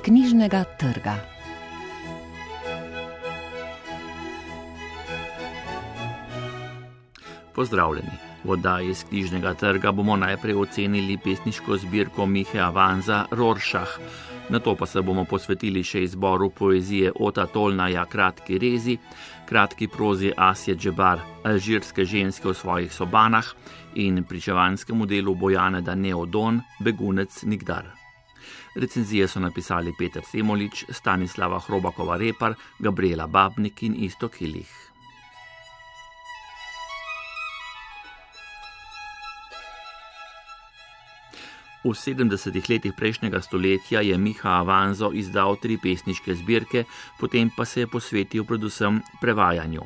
knjižnega trga. Pozdravljeni. V oddaji iz knjižnega trga bomo najprej ocenili pesniško zbirko Mihe Avanza Rorschach. Nato pa se bomo posvetili še izboru poezije Ota Tolnaja Kratki rezi, kratki prozi Asje Džebar, alžirske ženske v svojih sobanah in pričevanskemu delu Bojane Neodon, Begunec Nikdar. Recenzije so napisali Peter Semolič, Stanislava Hrobakova-Repar, Gabriela Babnik in Iztok Ilih. V 70. letih prejšnjega stoletja je Miha Avanzo izdal 3 pesniške zbirke, potem pa se je posvetil predvsem prevajanju.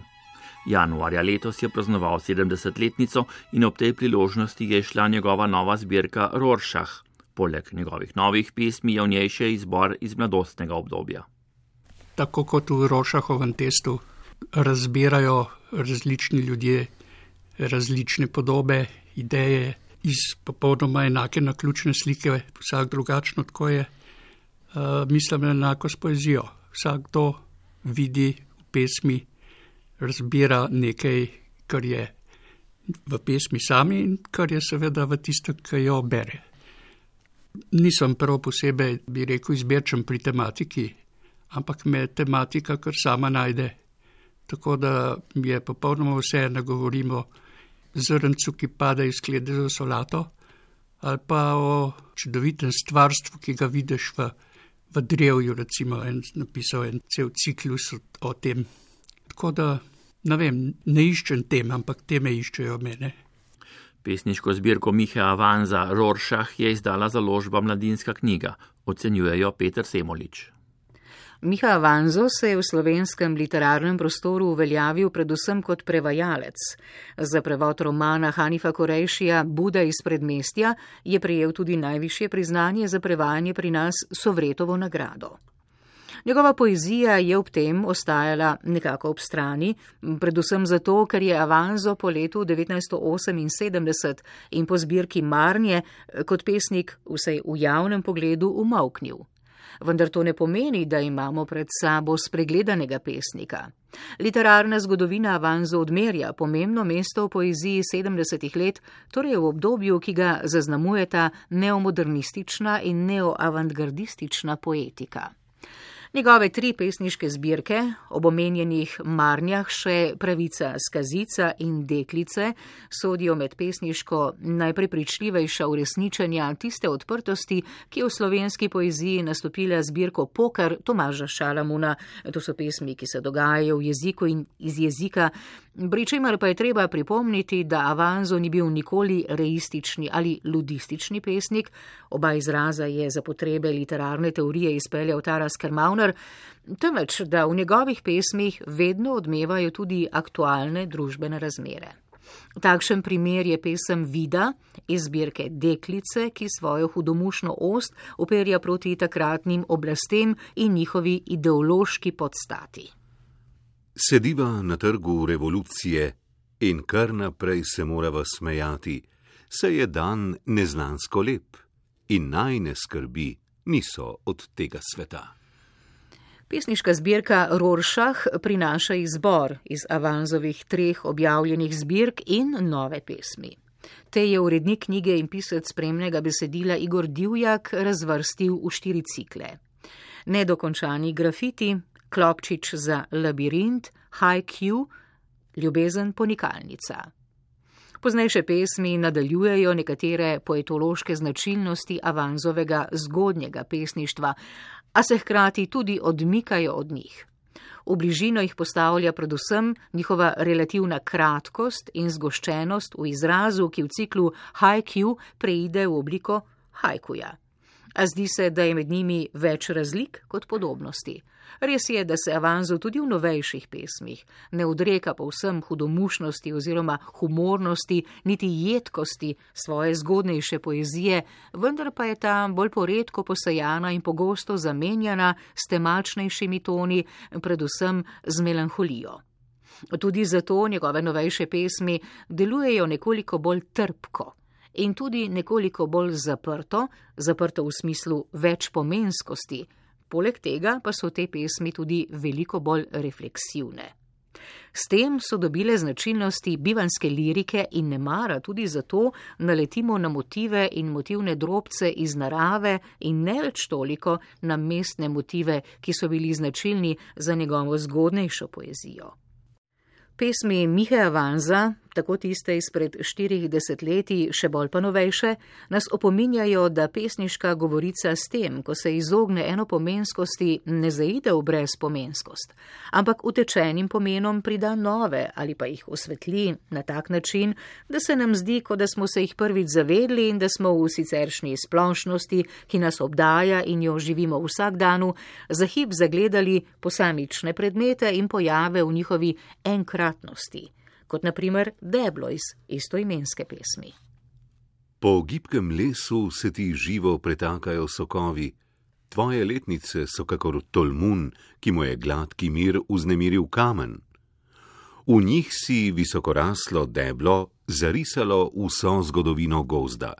Januarja letos je praznoval 70-letnico in ob tej priložnosti je šla njegova nova zbirka Rorschach. Poleg njegovih novih pesmi je v njej še izbor iz mladostnega obdobja. Tako kot v Rorschachovem testu razbirajo različni ljudje, različne podobe, ideje, iz popolnoma enake naključne slike, vsak drugačno, tako je, mislim enako s poezijo. Vsakdo vidi v pesmi, razbira nekaj, kar je v pesmi sami in kar je seveda v tisto, ki jo bere. Nisem prav posebej, bi rekel, izbirčen pri tematiki, ampak me tematika kar sama najde. Tako da je popolnoma vse, ne govorimo zrncu, ki pade iz sklede za solato, ali pa o čudovitem stvarstvu, ki ga vidiš v drevju, recimo, napisal en cel ciklus o tem. Tako da, ne vem, ne iščem tem, ampak teme iščejo mene. Pesniško zbirko Mihe Avanza Rorschach je izdala založba Mladinska knjiga, ocenjujejo Peter Semolič. Miha Avanzo se je v slovenskem literarnem prostoru uveljavil predvsem kot prevajalec. Za prevod romana Hanifa Korejšija Buda iz predmestja je prejel tudi najvišje priznanje za prevajanje pri nas Sovretovo nagrado. Njegova poezija je ob tem ostajala nekako ob strani, predvsem zato, ker je Avanzo po letu 1978 in po zbirki Marnje kot pesnik vsaj v javnem pogledu umolknil. Vendar to ne pomeni, da imamo pred sabo spregledanega pesnika. Literarna zgodovina Avanzo odmerja pomembno mesto v poeziji 70. let, torej v obdobju, ki ga zaznamujeta neomodernistična in neoavantgardistična poetika. Njegove 3 pesniške zbirke, ob omenjenih Marnjah še Pravica skazica in Deklice, sodijo med pesniško najprepričljivejša uresničenja tiste odprtosti, ki je v slovenski poeziji nastopila zbirko Poker Tomaža Šalamuna. To so pesmi, ki se dogajajo v jeziku in iz jezika, pri čemer pa je treba pripomniti, da Avanzo ni bil nikoli reistični ali ludistični pesnik, oba izraza je za potrebe literarne teorije izpeljal Taras Kermauner, temveč da v njegovih pesmih vedno odmevajo tudi aktualne družbene razmere. Takšen primer je pesem Vida iz zbirke Deklice, ki svojo hudomušno ost uperja proti takratnim oblastem in njihovi ideološki podstati. Sediva na trgu revolucije in kar naprej se morava smejati, saj je dan neznansko lep in najne skrbi niso od tega sveta. Pesniška zbirka Rorschach prinaša izbor iz Avanzovih 3 objavljenih zbirk in nove pesmi. Te je urednik knjige in pisec spremnega besedila Igor Divjak razvrstil v 4 cikle. Nedokončani grafiti, Klopčič za labirint, Haiku, Ljubezen ponikalnica. Poznejše pesmi nadaljujejo nekatere poetološke značilnosti Avanzovega zgodnjega pesništva, a se hkrati tudi odmikajo od njih. V bližino jih postavlja predvsem njihova relativna kratkost in zgoščenost v izrazu, ki v ciklu Haiku preide v obliko haikuja. A zdi se, da je med njimi več razlik kot podobnosti. Res je, da se Avanzo tudi v novejših pesmih ne odreka povsem hudomušnosti oziroma humornosti, niti jedkosti svoje zgodnejše poezije, vendar pa je ta bolj poredko posejana in pogosto zamenjana s temačnejšimi toni, predvsem z melanholijo. Tudi zato njegove novejše pesmi delujejo nekoliko bolj trpko in tudi nekoliko bolj zaprto v smislu večpomenskosti, Poleg tega pa so te pesmi tudi veliko bolj refleksivne. S tem so dobile značilnosti bivanjske lirike in nemara tudi zato naletimo na motive in motivne drobce iz narave in ne več toliko na mestne motive, ki so bili značilni za njegovo zgodnejšo poezijo. Pesmi Miheja Vanza, tako tiste izpred 40 letij, še bolj pa novejše, nas opominjajo, da pesniška govorica s tem, ko se izogne enopomenskosti, ne zaide v brezpomenskost, ampak utečenim pomenom prida nove ali pa jih osvetli na tak način, da se nam zdi, kot da smo se jih prvič zavedli in da smo v siceršnji splošnosti, ki nas obdaja in jo živimo v vsakdanu, za hip zagledali posamične predmete in pojave v njihovi enkratnosti, kot na primer deblo iz istoimenske pesmi. Po gibkem lesu se ti živo pretakajo sokovi, tvoje letnice so kakor tolmun, ki mu je gladki mir vznemiril kamen. V njih si visokoraslo deblo zarisalo vso zgodovino gozda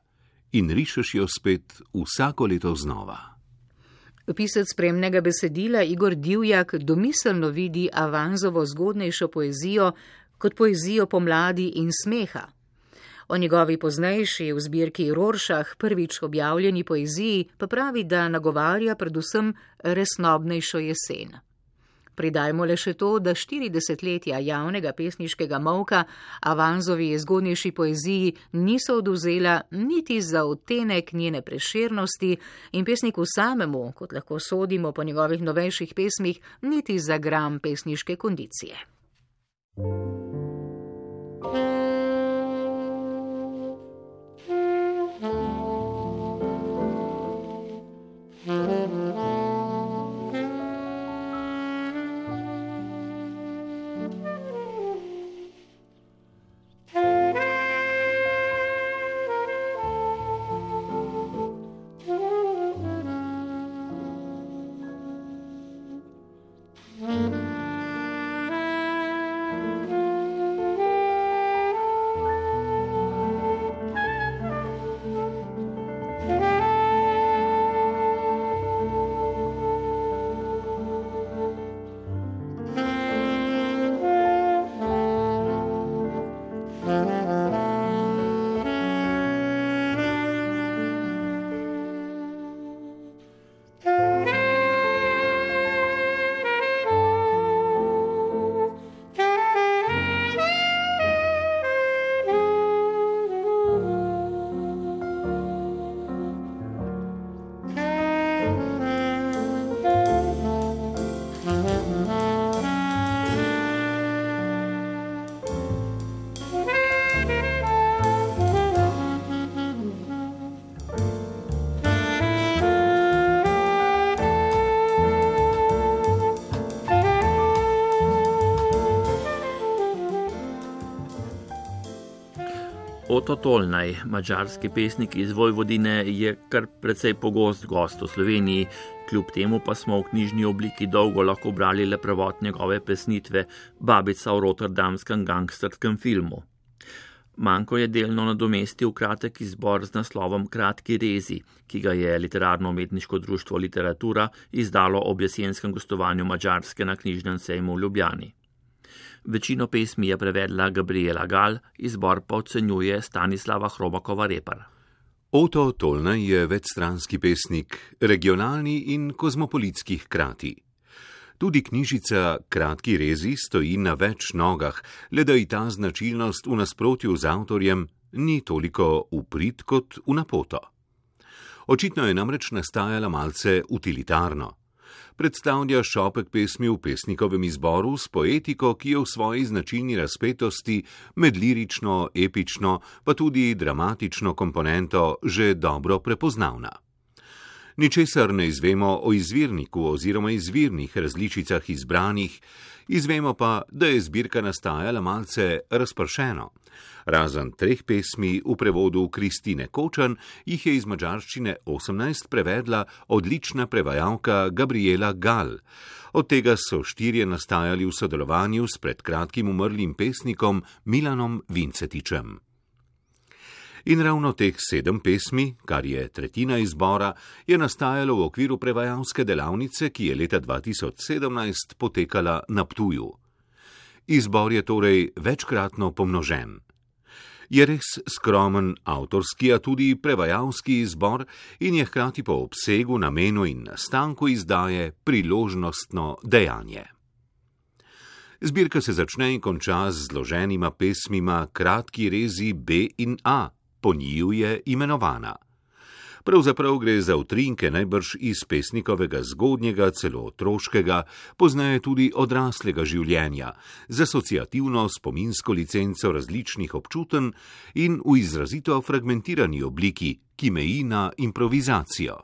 in rišeš jo spet vsako leto znova. Pisec spremnega besedila Igor Divjak domiselno vidi Avanzovo zgodnejšo poezijo kot poezijo pomladi in smeha. O njegovi poznejši v zbirki Rorschach prvič objavljeni poeziji pa pravi, da nagovarja predvsem resnobnejšo jesen. Pridajmo le še to, da 40 letja javnega pesniškega molka Avanzovi zgodnejši poeziji niso odvzela niti za odtenek njene prešernosti in pesniku samemu, kot lahko sodimo po njegovih novejših pesmih, niti za gram pesniške kondicije. Oto Tolnaj, madžarski pesnik iz Vojvodine, je kar precej pogost gost v Sloveniji, kljub temu pa smo v knjižni obliki dolgo lahko brali le prevod njegove pesnitve Babica v rotterdamskem gangsterskem filmu. Manko je delno nadomestil kratek izbor z naslovom Kratki rezi, ki ga je Literarno-umetniško društvo Literatura izdalo ob jesenskem gostovanju Madžarske na knjižnem sejmu v Ljubljani. Večino pesmi je prevedla Gabriela Gal, izbor pa ocenjuje Stanislava Hrobakova-Repar. Oto Tolnaj je večstranski pesnik, regionalni in kozmopolitski hkrati. Tudi knjižica Kratki rezi stoji na več nogah, le da ji ta značilnost v nasprotju z avtorjem ni toliko v prid kot v napoto. Očitno je namreč nastajala malce utilitarno. Predstavlja šopek pesmi v pesnikovem izboru s poetiko, ki je v svoji značilni razpetosti med lirično, epično, pa tudi dramatično komponento že dobro prepoznavna. Ničesar ne izvemo o izvirniku oziroma izvirnih različicah izbranih, izvemo pa, da je zbirka nastajala malce razpršeno. Razen 3 pesmi v prevodu Kristine Kočan jih je iz madžarščine 18 prevedla odlična prevajalka Gabriela Gal. Od tega so 4 nastajali v sodelovanju s pred kratkim umrlim pesnikom Milanom Vincetičem. In ravno teh 7 pesmi, kar je tretjina izbora, je nastajalo v okviru prevajalske delavnice, ki je leta 2017 potekala na Ptuju. Izbor je torej večkratno pomnožen. Je res skromen avtorski, a tudi prevajalski izbor in je hkrati po obsegu, namenu in nastanku izdaje priložnostno dejanje. Zbirka se začne in konča z zloženima pesmima Kratki rezi B in A, po njiju je imenovana. Pravzaprav gre za utrinke najbrž iz pesnikovega zgodnjega, celo otroškega, poznaje tudi odraslega življenja, z asociativno spominsko licenco različnih občutenj in v izrazito fragmentirani obliki, ki meji na improvizacijo.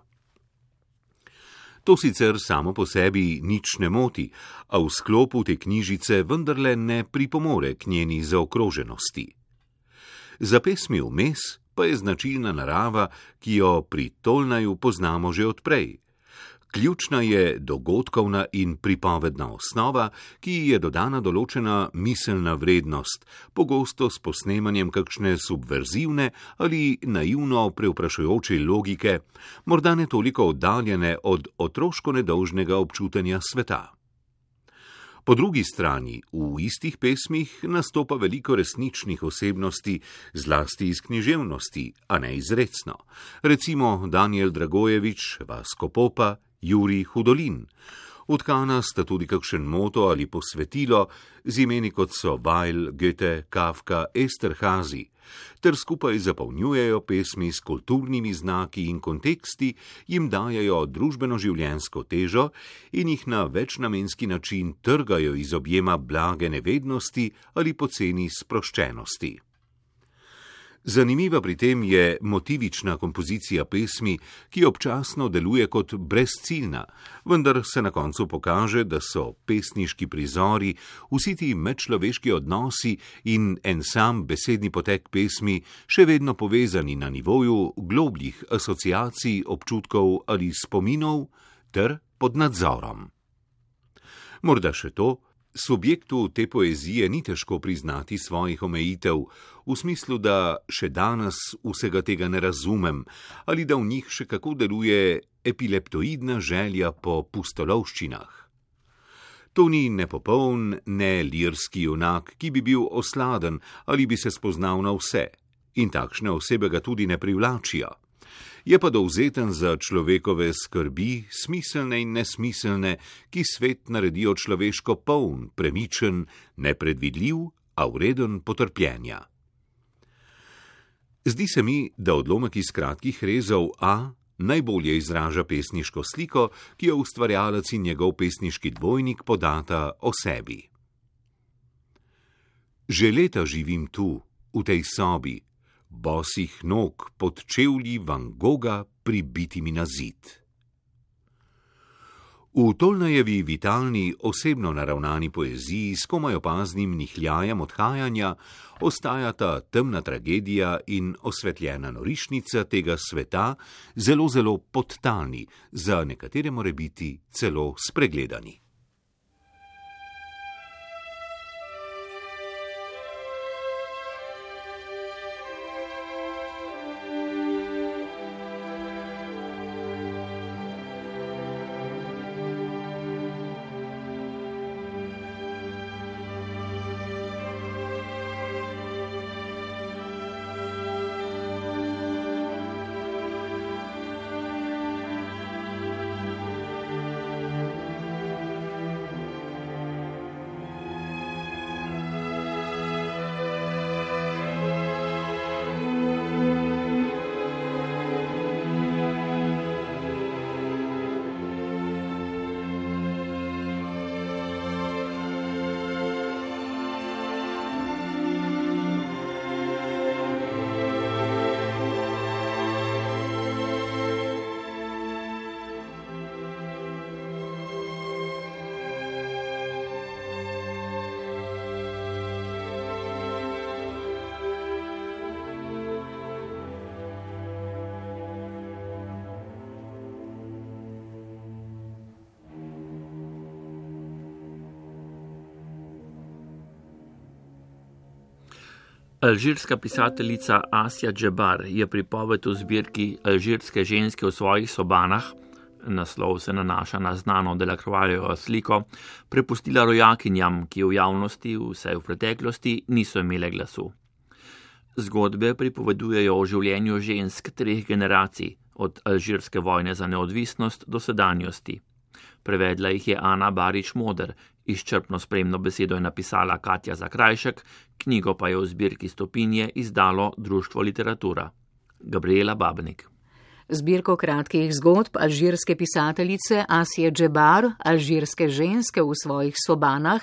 To sicer samo po sebi nič ne moti, a v sklopu te knjižice vendarle ne pripomore k njeni zaokroženosti. Za pesmi vmes pa je značilna narava, ki jo pri Tolnaju poznamo že odprej. Ključna je dogodkovna in pripovedna osnova, ki ji je dodana določena miselna vrednost, pogosto s posnemanjem kakšne subverzivne ali naivno prevprašujoče logike, morda ne toliko oddaljene od otroško nedolžnega občutenja sveta. Po drugi strani, v istih pesmih nastopa veliko resničnih osebnosti, zlasti iz književnosti, a ne izrecno. Recimo Danijel Dragojevič, Vasko Popa, Jurij Hudolin. Utkana sta tudi kakšen moto ali posvetilo z imeni kot so Weil, Goethe, Kafka, Esterhazy, ter skupaj zapolnjujejo pesmi s kulturnimi znaki in konteksti, jim dajejo družbeno-življenjsko težo in jih na večnamenski način trgajo iz objema blage nevednosti ali poceni sproščenosti. Zanimiva pri tem je motivična kompozicija pesmi, ki občasno deluje kot brezciljna, vendar se na koncu pokaže, da so pesniški prizori, vsi ti medčloveški odnosi in en sam besedni potek pesmi še vedno povezani na nivoju globljih asociacij, občutkov ali spominov ter pod nadzorom. Morda še to, subjektu te poezije ni težko priznati svojih omejitev, v smislu, da še danes vsega tega ne razumem ali da v njih še kako deluje epileptoidna želja po pustolovščinah. To ni nepopoln, ne lirski junak, ki bi bil osladen ali bi se spoznal na vse, in takšne osebe ga tudi ne privlačijo. Je pa dovzeten za človekove skrbi, smiselne in nesmiselne, ki svet naredijo človeško poln, premičen, nepredvidljiv, a vreden potrpljenja. Zdi se mi, da odlomek iz Kratkih rezov A najbolje izraža pesniško sliko, ki jo ustvarjalec in njegov pesniški dvojnik podata o sebi. Že leta živim tu, v tej sobi, bosih nog pod čevlji Van Gogha pribitimi na zid. V Tolnajevi vitalni, osebno naravnani poeziji s komaj opaznim nihljajem odhajanja ostajata temna tragedija in osvetljena norišnica tega sveta zelo, zelo podtalni, za nekatere more biti celo spregledani. Alžirska pisateljica Asja Džebar je pripoved v zbirki Alžirske ženske v svojih sobanah, naslov se nanaša na znano Delacroixovo sliko, prepustila rojakinjam, ki v javnosti, vsaj v preteklosti, niso imele glasu. Zgodbe pripovedujejo o življenju žensk 3 generacij, od alžirske vojne za neodvisnost do sedanjosti. Prevedla jih je Ana Barič Moder, izčrpno spremno besedo je napisala Katja Zakrajšek, knjigo pa je v zbirki Stopinje izdalo Društvo Literatura. Gabriela Babnik. Zbirko kratkih zgodb alžirske pisateljice Asije Džebar, Alžirske ženske v svojih sobanah,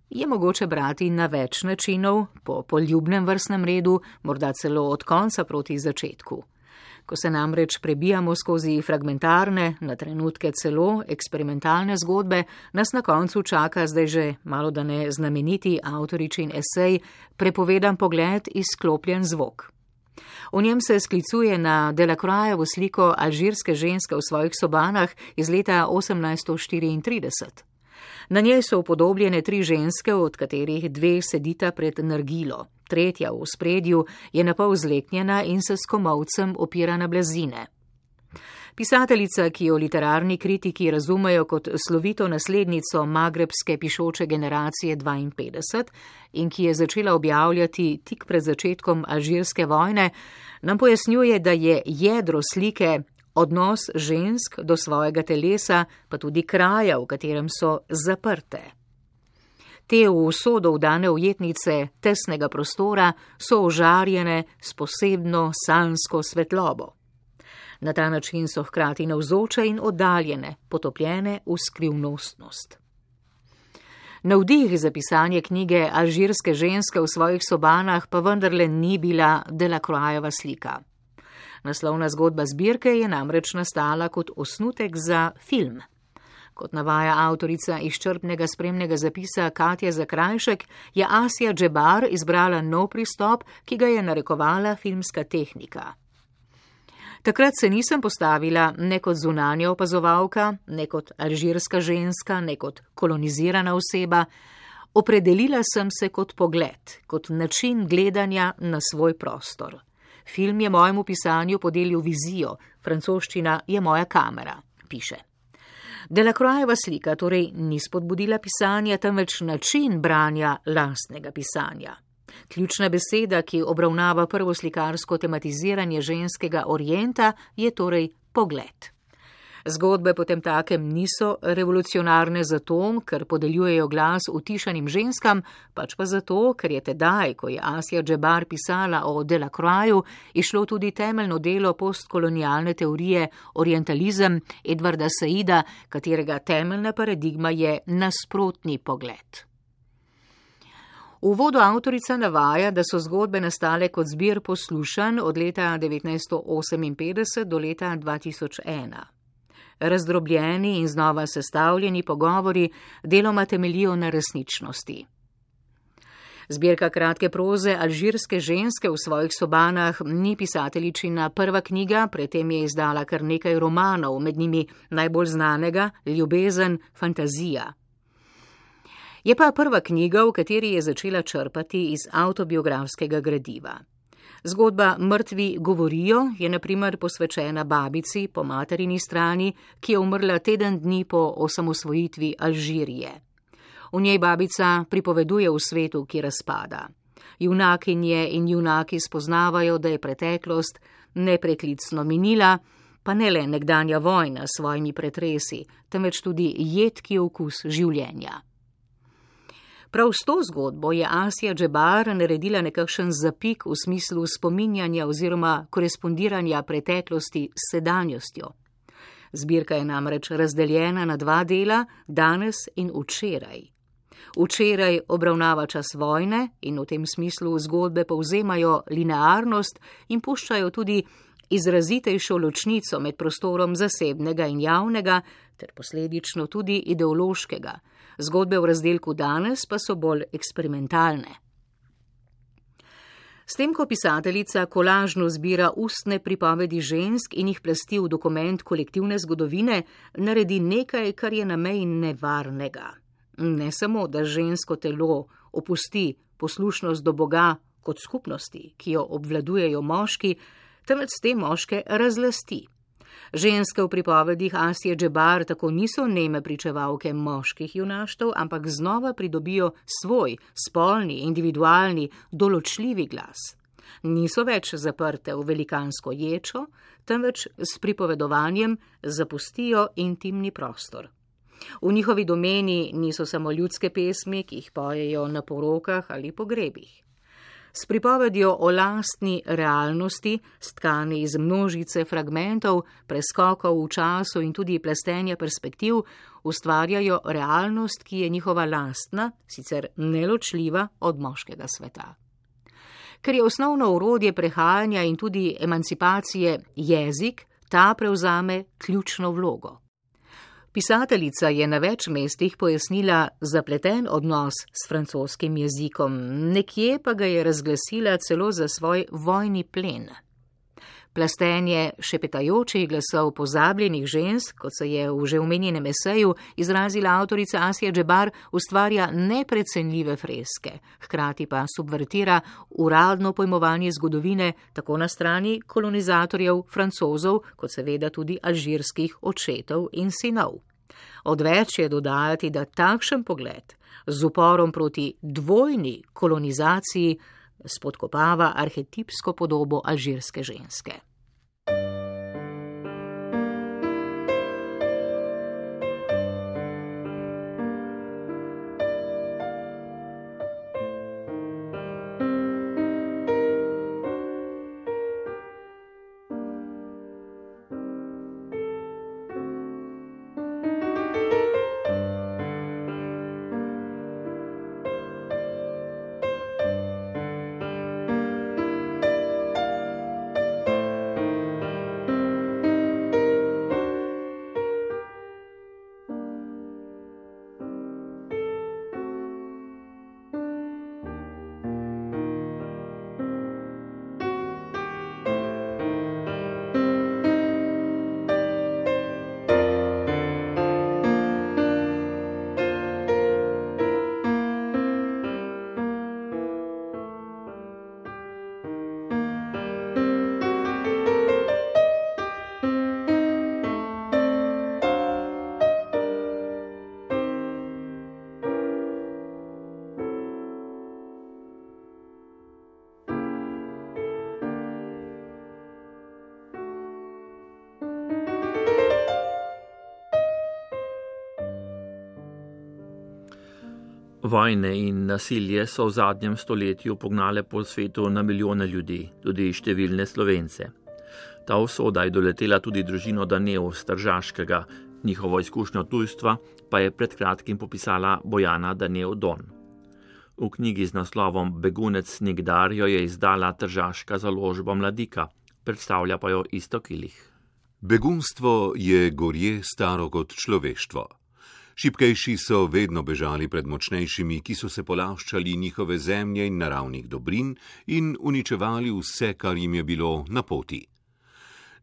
je mogoče brati na več načinov, po poljubnem vrstnem redu, morda celo od konca proti začetku. Ko se namreč prebijamo skozi fragmentarne, na trenutke celo eksperimentalne zgodbe, nas na koncu čaka zdaj že malodane znameniti avtoričin esej Prepovedan pogled, izklopljen zvok. V njem se sklicuje na Delacroixovo sliko Alžirske ženske v svojih sobanah iz leta 1834. Na njej so upodobljene 3 ženske, od katerih 2 sedita pred nargilo. 3. v spredju je napol zleknjena in se s komolcem opira na blazine. Pisateljica, ki jo literarni kritiki razumejo kot slovito naslednico magrebske pišoče generacije 52 in ki je začela objavljati tik pred začetkom alžirske vojne, nam pojasnjuje, da je jedro slike odnos žensk do svojega telesa, pa tudi kraja, v katerem so zaprte. Te v usodo vdane ujetnice tesnega prostora so ožarjene s posebno sanjsko svetlobo. Na ta način so hkrati navzoče in oddaljene, potopljene v skrivnostnost. Navdih za pisanje knjige Alžirske ženske v svojih sobanah pa vendarle ni bila Delacroixova slika. Naslovna zgodba zbirke je namreč nastala kot osnutek za film. Kot navaja avtorica izčrpnega spremnega zapisa Katja Zakrajšek, je Asja Džebar izbrala nov pristop, ki ga je narekovala filmska tehnika. Takrat se nisem postavila ne kot zunanja opazovalka, ne kot alžirska ženska, ne kot kolonizirana oseba. Opredelila sem se kot pogled, kot način gledanja na svoj prostor. Film je mojemu pisanju podelil vizijo, francoščina je moja kamera, piše. Delacroixova slika torej ni spodbudila pisanja, temveč način branja lastnega pisanja. Ključna beseda, ki obravnava prvo slikarsko tematiziranje ženskega orienta, je torej pogled. Zgodbe potem takem niso revolucionarne zato, ker podeljujejo glas utišanim ženskam, pač pa zato, ker je tedaj, ko je Asja Džebar pisala o Delacroixu, išlo tudi temeljno delo postkolonialne teorije orientalizem Edvarda Saida, katerega temeljna paradigma je nasprotni pogled. V uvodu avtorica navaja, da so zgodbe nastale kot zbir poslušanj od leta 1958 do leta 2001. Razdrobljeni in znova sestavljeni pogovori deloma temeljijo na resničnosti. Zbirka kratke proze Alžirske ženske v svojih sobanah ni pisateljičina prva knjiga, predtem je izdala kar nekaj romanov, med njimi najbolj znanega Ljubezen, fantazija. Je pa prva knjiga, v kateri je začela črpati iz avtobiografskega gradiva. Zgodba Mrtvi govorijo je na primer posvečena babici po materini strani, ki je umrla teden dni po osamosvojitvi Alžirije. V njej babica pripoveduje v svetu, ki razpada. Junakinje in junaki spoznavajo, da je preteklost nepreklicno minila, pa ne le nekdanja vojna s svojimi pretresi, temveč tudi jedki okus življenja. Prav s to zgodbo je Asja Džebar naredila nekakšen zapik v smislu spominjanja oziroma korespondiranja preteklosti s sedanjostjo. Zbirka je namreč razdeljena na 2 dela, danes in včeraj. Včeraj obravnava čas vojne in v tem smislu zgodbe povzemajo linearnost in puščajo tudi izrazitejšo ločnico med prostorom zasebnega in javnega, ter posledično tudi ideološkega. Zgodbe v razdelku danes pa so bolj eksperimentalne. S tem, ko pisateljica kolažno zbira ustne pripovedi žensk in jih plasti v dokument kolektivne zgodovine, naredi nekaj, kar je na meji nevarnega. Ne samo, da žensko telo opusti poslušnost do Boga, kot skupnosti, ki jo obvladujejo moški, temveč s te moške razlasti. Ženske v pripovedih Asije Džebar tako niso neme pričevalke moških junaštev, ampak znova pridobijo svoj, spolni, individualni, določljivi glas. Niso več zaprte v velikansko ječo, temveč s pripovedovanjem zapustijo intimni prostor. V njihovi domeni niso samo ljudske pesmi, ki jih pojejo na porokah ali pogrebih. S pripovedjo o lastni realnosti, stkani iz množice fragmentov, preskokov v času in tudi plestenja perspektiv, ustvarjajo realnost, ki je njihova lastna, sicer neločljiva od moškega sveta. Ker je osnovno orodje prehajanja in tudi emancipacije jezik, ta prevzame ključno vlogo. Pisateljica je na več mestih pojasnila zapleten odnos s francoskim jezikom, nekje pa ga je razglasila celo za svoj vojni plen. Plastenje šepetajočih glasov pozabljenih žensk, kot se je v že omenjenem eseju izrazila avtorica Asija Džebar, ustvarja neprecenljive freske, hkrati pa subvertira uradno pojmovanje zgodovine tako na strani kolonizatorjev Francozov, kot seveda tudi alžirskih očetov in sinov. Odveč je dodajati, da takšen pogled z uporom proti dvojni kolonizaciji spodkopava arhetipsko podobo alžirske ženske. Vojne in nasilje so v zadnjem stoletju pognale po svetu na milijone ljudi, tudi številne Slovence. Ta usoda je doletela tudi družino Danev z Tržaškega, njihovo izkušnjo tujstva pa je pred kratkim popisala Bojana Danev Don. V knjigi z naslovom Begunec nikdar jo je izdala tržaška založba Mladika, predstavlja pa jo Iztok Ilih. Begunstvo je gorje staro kot človeštvo. Šibkejši so vedno bežali pred močnejšimi, ki so se polaščali njihove zemlje in naravnih dobrin in uničevali vse, kar jim je bilo na poti.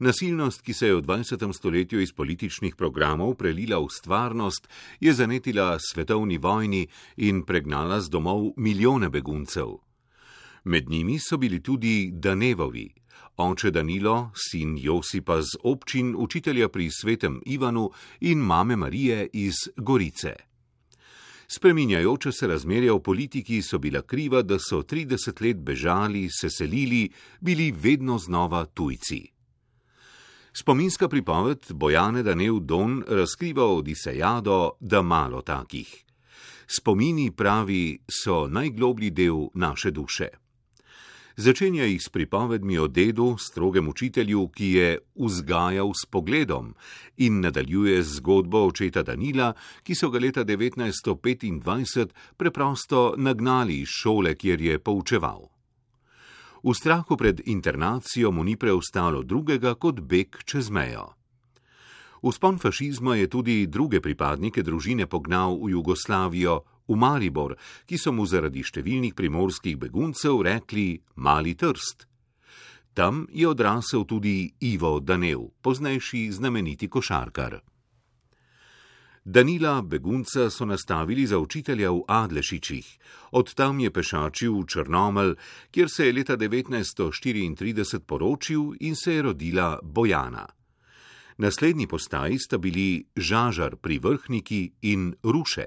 Nasilnost, ki se je v 20. stoletju iz političnih programov prelila v stvarnost, je zanetila svetovni vojni in pregnala z domov milijone beguncev. Med njimi so bili tudi Danevovi, oče Danilo, sin Josipa z občin, učitelja pri Svetem Ivanu in mame Marije iz Gorice. Spreminjajoče se razmerja v politiki so bila kriva, da so 30 let bežali, se selili, bili vedno znova tujci. Spominska pripoved Bojane Danev Don razkriva Odisejado, da malo takih. Spomini, pravi, so najgloblji del naše duše. Začenja jih s pripovedmi o dedu, strogem učitelju, ki je vzgajal s pogledom, in nadaljuje z zgodbo očeta Danila, ki so ga leta 1925 preprosto nagnali iz šole, kjer je poučeval. V strahu pred internacijo mu ni preostalo drugega kot beg čez mejo. Vzpon fašizma je tudi druge pripadnike družine pognal v Jugoslavijo, v Maribor, ki so mu zaradi številnih primorskih beguncev rekli Mali Trst. Tam je odrasel tudi Ivo Danev, poznejši znameniti košarkar. Danila, begunca, so nastavili za učitelja v Adlešičih. Od tam je pešačil v Črnomelj, kjer se je leta 1934 poročil in se je rodila Bojana. Naslednji postaji sta bili Žažar pri Vrhniki in Ruše.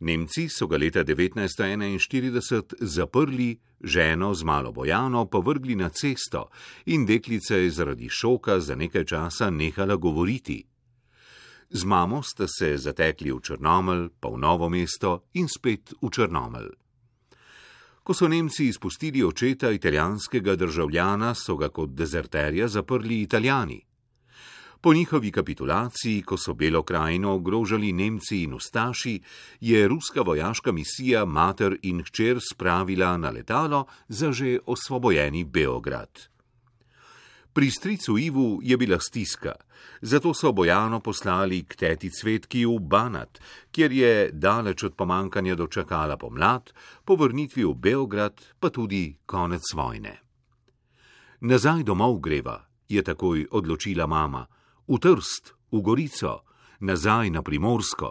Nemci so ga leta 1941 zaprli, ženo z malo Bojano povrgli na cesto in deklica je zaradi šoka za nekaj časa nehala govoriti. Z mamo sta se zatekli v Črnomelj, pa v Novo mesto in spet v Črnomelj. Ko so Nemci izpustili očeta italijanskega državljana, so ga kot dezerterja zaprli Italijani. Po njihovi kapitulaciji, ko so Belo krajino ogrožali Nemci in ustaši, je ruska vojaška misija mater in hčer spravila na letalo za že osvobojeni Beograd. Pri stricu Ivu je bila stiska, zato so Bojano poslali k teti Cvetki v Banat, kjer je daleč od pomankanja dočakala pomlad, po vrnitvi v Beograd pa tudi konec vojne. Nazaj domov greva, je takoj odločila mama, v Trst, v Gorico, nazaj na Primorsko.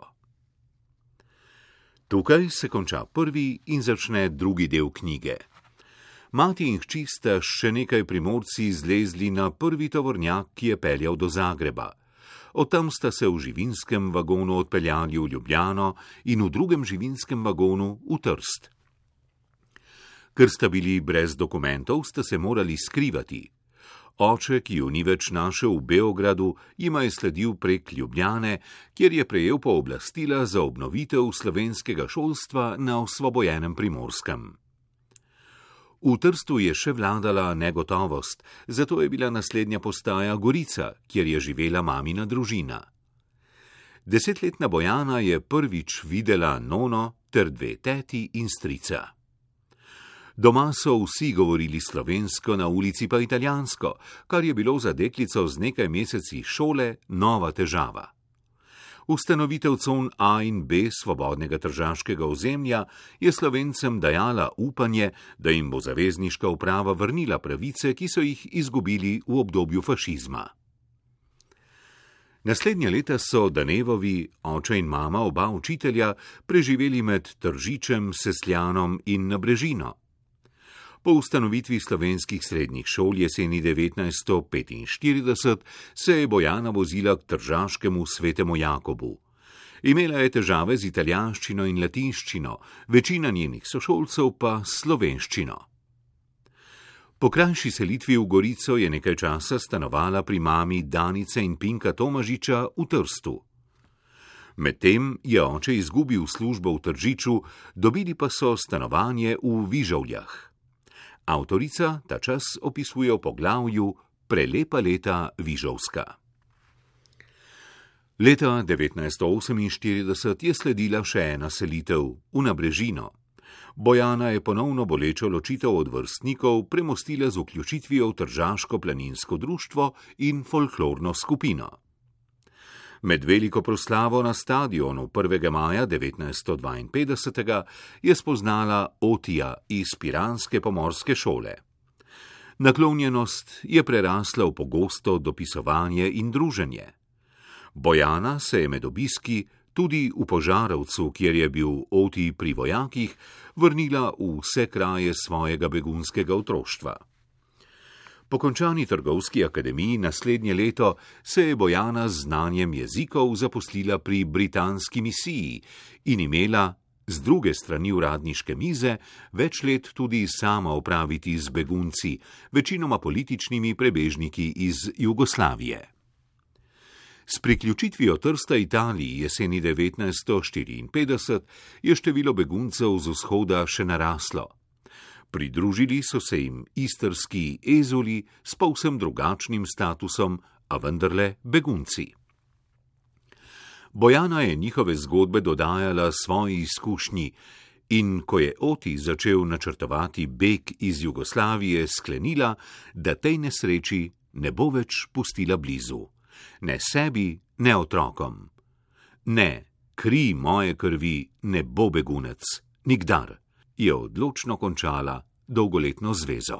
Tukaj se konča prvi in začne drugi del knjige. Mati in hči sta še nekaj Primorci zlezli na prvi tovornjak, ki je peljal do Zagreba. Od tam sta se v živinskem vagonu odpeljali v Ljubljano in v drugem živinskem vagonu v Trst. Ker sta bili brez dokumentov, sta se morali skrivati. Oče, ki ju ni več našel v Beogradu, jima je sledil prek Ljubljane, kjer je prejel pooblastila za obnovitev slovenskega šolstva na osvobojenem Primorskem. V Trstu je še vladala negotovost, zato je bila naslednja postaja Gorica, kjer je živela mamina družina. 10-letna Bojana je prvič videla nono ter 2 teti in strica. Doma so vsi govorili slovensko, na ulici pa italijansko, kar je bilo za deklico z nekaj meseci šole nova težava. Ustanovitev con A in B svobodnega tržaškega ozemlja je Slovencem dajala upanje, da jim bo zavezniška uprava vrnila pravice, ki so jih izgubili v obdobju fašizma. Naslednja leta so Danevovi, oče in mama, oba učitelja, preživeli med Tržičem, Sesljanom in Nabrežino. Po ustanovitvi slovenskih srednjih šol jeseni 1945 se je Bojana vozila k tržaškemu Svetemu Jakobu. Imela je težave z italijanščino in latinščino, večina njenih sošolcev pa slovenščino. Po krajši selitvi v Gorico je nekaj časa stanovala pri mami Danice in Pinka Tomažiča v Trstu. Medtem je oče izgubil službo v Tržiču, dobili pa so stanovanje v Vižovljah. Avtorica ta čas opisuje v poglavju Prelepa leta Vižovska. Leta 1948 je sledila še ena selitev v Nabrežino. Bojana je ponovno bolečo ločitev od vrstnikov premostila z vključitvijo v Tržaško planinsko društvo in folklorno skupino. Med veliko proslavo na stadionu 1. maja 1952 je spoznala Otija iz piranske pomorske šole. Naklonjenost je prerasla v pogosto dopisovanje in druženje. Bojana se je med obiski tudi v Požarovcu, kjer je bil Oti pri vojakih, vrnila v vse kraje svojega begunskega otroštva. Po končani trgovski akademiji naslednje leto se je Bojana z znanjem jezikov zaposlila pri britanski misiji in imela z druge strani uradniške mize več let tudi sama opraviti z begunci, večinoma političnimi prebežniki iz Jugoslavije. S priključitvijo Trsta Italiji jeseni 1954 je število beguncev z vzhoda še naraslo. Pridružili so se jim istrski ezuli s povsem drugačnim statusom, a vendarle begunci. Bojana je njihove zgodbe dodajala svoji izkušnji in ko je Oti začel načrtovati beg iz Jugoslavije, sklenila, da tej nesreči ne bo več pustila blizu. Ne sebi, ne otrokom. Ne, kri moje krvi ne bo begunec, nikdar. Je odločno končala dolgoletno zvezo.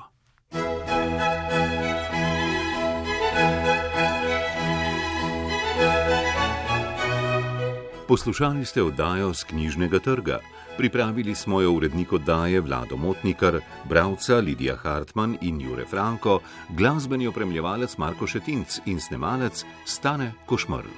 Poslušali ste oddajo z knjižnega trga. Pripravili smo jo urednik oddaje Vlado Motnikar, bralca Lidija Hartmann in Jure Franko, glasbeni opremljevalec Marko Šetinc in snemalec Stane Košmerl.